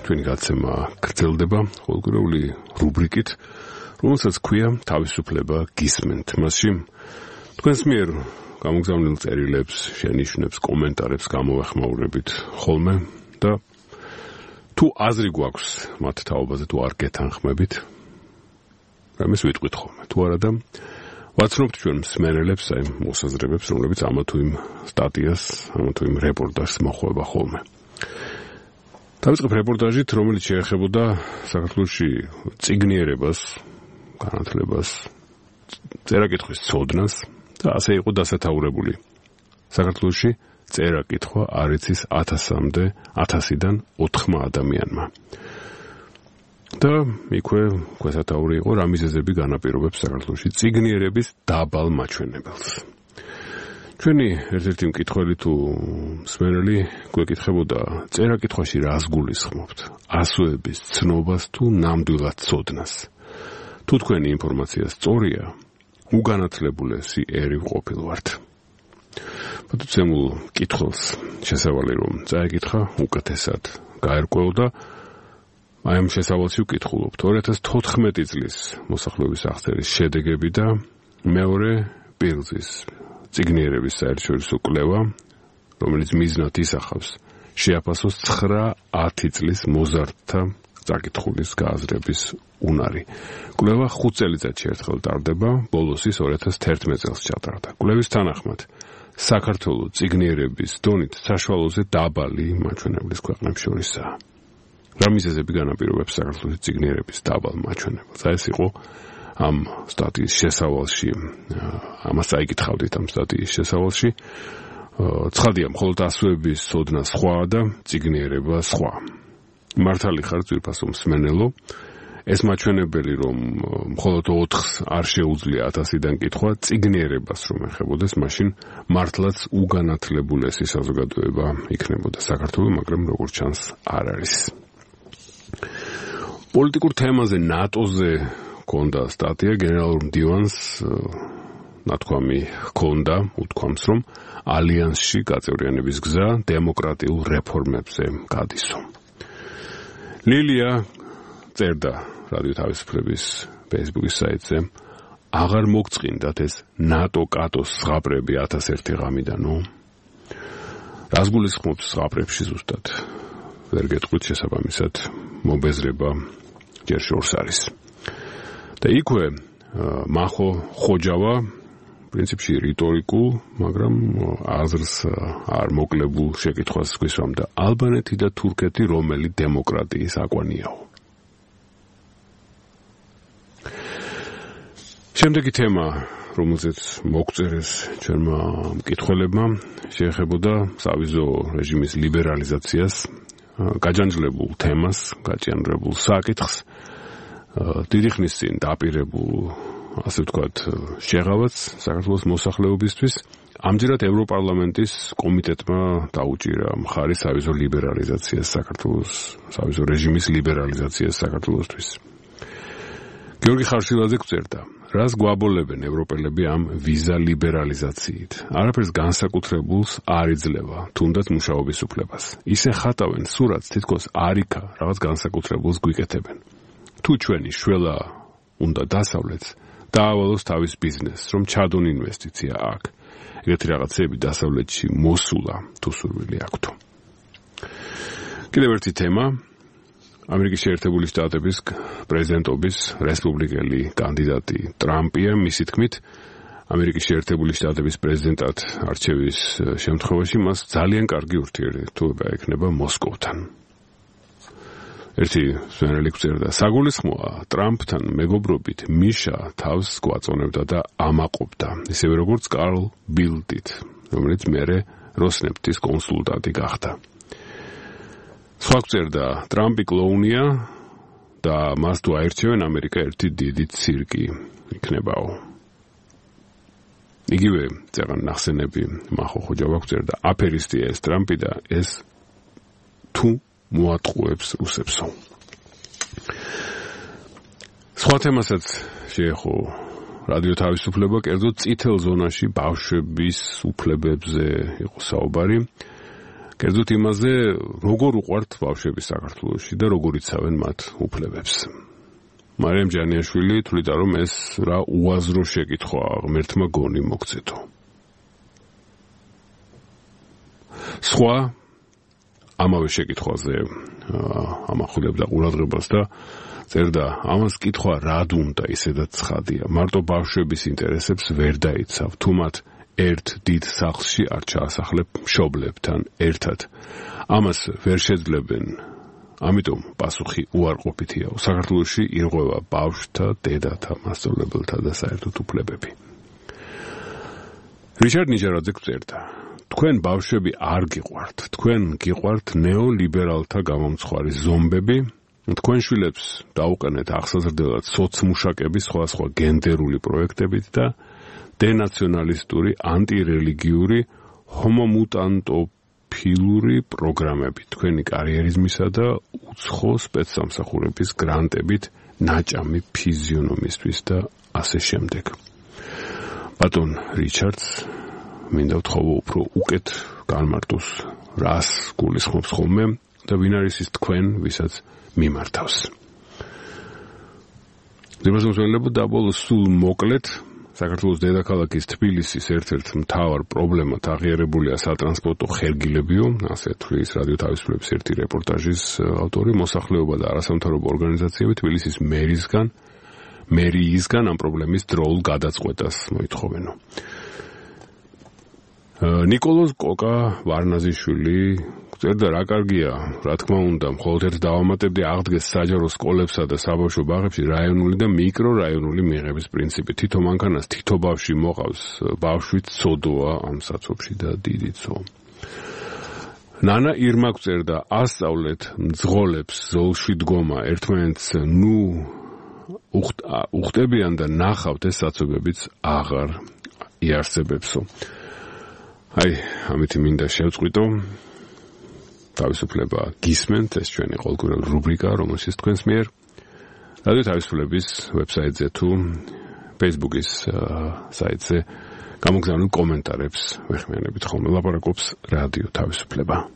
Ჩვენი გაცემა გრძელდება ყოველკვირეული რუბრიკით, რომელსაც ქვია თავისუფლება გისმენთ. მასში თქვენს მიერ გამოგზავნილ წერილებს, შენიშვნებს, კომენტარებს გამოვეხმაურებით ხოლმე და თუ აზრი გვაქვს მათ თაობაზე, თუ არ გეთანხმებით, რამეს ვიტყვით ხოლმე. თუ არა და ვაცნობთ ჩვენ მსმენელებს, აი მოსაზრებებს, რომლებიც ამა თუ იმ სტატიას, ამა თუ იმ რეპორტაჟს მოხვება ხოლმე. დავიწყებ რეპორტაჟით, რომელიც შეეხებოდა საქართველოში წიგნიერებას, განათლებას, წერა-კითხვის ცოდნას და ასე იყო დასათაურებული. საქართველოში წერა-კითხვა არ იცის 1000-დან 4 ადამიანმა. და იქვე ქვესათაური იყო რა მიზეზები განაპირობებს საქართველოში წიგნიერების დაბალ მაჩვენებელს. ჩვენი ერთ-ერთი მკითხველი თუ მსმენელი გვეკითხებოდა წერა-კითხვაში რას გულისხმობთ? ასოების ცნობას თუ ნამდვილად ცოდნას? თუ თქვენი ინფორმაცია სწორია, უგანათლებულესი ერი ვყოფილვართ. პატუცემულ კითხულს შესავალი რომ წაეკითხა უკეთესად გაერკვეო და აი ამ შესავალში ვკითხულობთ 2014 წლის მოსახლეობის აღწერის შედეგები და მეორე პირგზის წიგნიერების საერთაშორისო კვლევა, რომელიც მიზნად ისახავს შეაფასოს 9-10 წლის მოზარდთა წაკითხulis გააზრების უნარი. კვლევა 5 წელიწადში ერთხელ ტარდება, ბოლოს ის 2011 წელს ჩატარდა. კვლევის თანახმად საქართველოს წიგნიერების დონით საშუალოზე დაბალი მაჩვენებლის ქვეყნებს შორისაა. რა მიზეზები განაპირობებს საქართველოს წიგნიერების დაბალ მაჩვენებელს? ეს იყო ამ სტატიის შესავალში, ამას წაიკითხავდით ამ სტატიის შესავალში. ცხადია, მხოლოდ ასოების ცოდნა სხვა და წიგნიერება სხვა. მართალი ხარ ძვირფასო მსმენელო, ეს მაჩვენებელი რომ მხოლოდ 4-ს არ შეუძლია 1000-დან კითხვა წიგნიერებას რომ ეხებოდეს, მაშინ მართლაც უგანათლებულესი საზოგადოება იქნებოდა საქართველოს, მაგრამ როგორც ჩანს არ არის. პოლიტიკურ თემაზე ნატოზე ქონდა სტატია, გენერალურ მდივანს ნათქვამი ჰქონდა, უთქვამს რომ ალიანსში გაწევრიანების გზა დემოკრატიულ რეფორმებზე გადისო. ლილია წერდა რადიო თავისუფლების Facebook-ის საიტზე, აღარ მოგწყინდათ ეს ნატო-კატოს ზღაპრები 1001 ღამიდანო? რას გულისხმობს ზღაპრებში ზუსტად? ვერ გეტყვით, შესაბამისად მობეზრება ჯერ შორს არის. და იქვე მახო ხოჯავა პრინციპში რიტორიკულ, მაგრამ აზრს არ მოკლებულ შეკითხვას გვისვამდა. ალბანეთი და თურქეთი რომელი დემოკრატიის აკვანიაო? შემდეგი თემა, რომელზეც მოგწერეს ჩვენმა მკითხველებმა, შეეხებოდა სავიზო რეჟიმის ლიბერალიზაციას, გაჯანჯლებულ თემას, გაჭიანურებულ საკითხს, დიდი ხნის წინ დაპირებულ, ასე ვთქვათ, შეღავაც საქართველოს მოსახლეობისთვის. ამჯერად ევროპარლამენტის კომიტეტმა დაუჭირა მხარი სავიზო ლიბერალიზაციას საქართველოს, სავიზო რეჟიმის ლიბერალიზაციას საქართველოსთვის. გიორგი ხარშილაძე გვწერდა, რას გვაბოლებენ ევროპელები ამ ვიზა ლიბერალიზაციით? არაფერს განსაკუთრებულს არ იძლევა, თუნდაც მუშაობის უფლებას. ისე ხატავენ სურათს, თითქოს არიქა რაღაც განსაკუთრებულს გვიკეთებენ. თუ ჩვენი შველა უნდა დასავლეთს, დაავალოს თავის ბიზნესს, რომ ჩადონ ინვესტიცია აქ. ეგეთი რაღაცები დასავლეთში მოსულა თუ სურვილი აქვთო. კიდევ ერთი თემა, ამერიკის შეერთებული შტატების პრეზიდენტობის რესპუბლიკელი კანდიდატი ტრამპია. მისი თქმით, ამერიკის შეერთებული შტატების პრეზიდენტად არჩევის შემთხვევაში მას ძალიან კარგი ურთიერთობა ექნება მოსკოვთან. ერთი მსმენელი გვწერდა, საგულისხმოა ტრამპთან მეგობრობით მიშა თავს გვაწონებდა და ამაყობდა, ისევე როგორც კარლ ბილდით, რომელიც მერე როსნეფტის კონსულტანტი გახდა. სხვა გვწერდა, ტრამპი კლოუნია და მას თუ აირჩევენ, ამერიკა ერთი დიდი ცირკი იქნებაო. იგივე წერან ნახსენები მახო ხოჯავა გვწერდა, აფერისტია ეს ტრამპი და ეს თუ მოატყუებს რუსებსო. სხვა თემასაც შეეხო რადიო თავისუფლება, კერძოდ წითელ ზონაში ბავშვების უფლებებზე იყო საუბარი. კერძოდ იმაზე, როგორ უყვართ ბავშვები საქართველოში და როგორ იცავენ მათ უფლებებს. მარიამ ჯანიაშვილი თვლიდა, რომ ეს რა უაზრო შეკითხვაა ღმერთმა გონი მოგცეთო. სხვა ამავე შეკითხვაზე ამახვილებდა ყურადღებას და წერდა, ამას კითხვა რად უნდა ისედაც ცხადია. მარტო ბავშვების ინტერესებს ვერ დაიცავ, თუ მათ ერთ დიდ სახლში არ ჩაასახლებ მშობლებთან ერთად. ამას ვერ შეძლებენ. ამიტომ პასუხი უარყოფითია. საქართველოში ირღვევა ბავშვთა, დედათა, მასწავლებელთა და საერთოდ უფლებები. რიჩარდ ნიჟარაძე წერდა, თქვენ ბავშვები არ გიყვართ, თქვენ გიყვართ ნეოლიბერალთა გამომცხვარი ზომბები, თქვენ შვილებს დაუყენეთ აღსაზრდელად სოცმუშაკების სხვადასხვა გენდერული პროექტებით და დენაციონალისტური, ანტირელიგიური, ჰომომუტანტოფილური პროგრამებით, თქვენი კარიერიზმისა და უცხო სპეცსამსახურების გრანტებით, ნაჭამი ფიზიონომისთვის და ასე შემდეგ. ბატონ რიჩარდს მინდა ვთხოვო უფრო უკეთ განმარტოს, რას გულისხმობს ხოლმე და ვინ არის ის თქვენ, ვისაც მიმართავს. ძებასმოსმენლებო დაბოლოს სულ მოკლედ, საქართველოს დედაქალაქის თბილისის ერთ-ერთ მთავარ პრობლემად აღიარებულია სატრანსპორტო ხერგილებიო, ასე თვლის რადიო თავისუფლების ერთი რეპორტაჟის ავტორი, მოსახლეობა და არასამთავრობო ორგანიზაციები თბილისის მერიისგან ამ პრობლემის დროულ გადაწყვეტას მოითხოვენო. ნიკოლოზ კოკა ვარნაზიშვილი წერდა, რა კარგია, რა თქმა უნდა, მხოლოდ ერთ დავამატებდი, აღდგეს საჯარო სკოლებსა და საბავშვო ბაღებში რაიონული და მიკრორაიონული მიღების პრინციპი. თითო მანქანას თითო ბავშვი მოყავს, ბავშვით ცოდოა ამ საცობში და დიდი ცო. ნანა ირმა წერდა, ასწავლეთ მძღოლებს ზოლში დგომა, ერთმანეთს უხტებიან და ნახავთ, ეს საცობებიც აღარ იარსებებსო. აი, ამით მინდა შევწყვიტო. თავისუფლება გისმენთ, ეს ჩვენი ყოველკვირეული რუბრიკა, რომელშიც თქვენს მიერ რადიო თავისუფლების ვებსაიტზე თუ Facebook-ის საიტზე გამოგზავნილ კომენტარებს ვეხმიანებით ხოლმე. ლაპარაკობს რადიო თავისუფლება.